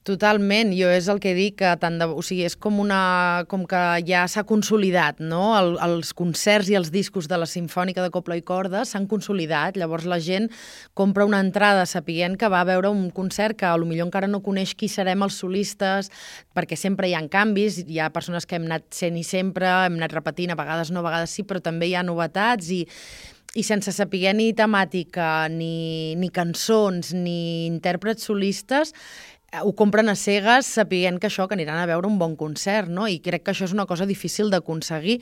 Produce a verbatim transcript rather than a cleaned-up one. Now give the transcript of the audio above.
Totalment, jo és el que dic, que tant de, o sigui, és com una, com que ja s'ha consolidat, no? El, els concerts i els discos de la Simfònica de Cobla i Corda s'han consolidat, llavors la gent compra una entrada sapient que va a veure un concert que potser encara no coneix qui serem els solistes, perquè sempre hi ha canvis, hi ha persones que hem anat sent i sempre, hem anat repetint, a vegades no, a vegades sí, però també hi ha novetats i i sense saber ni temàtica, ni, ni cançons, ni intèrprets solistes, ho compren a cegues sapient que això, que aniran a veure un bon concert, no? I crec que això és una cosa difícil d'aconseguir.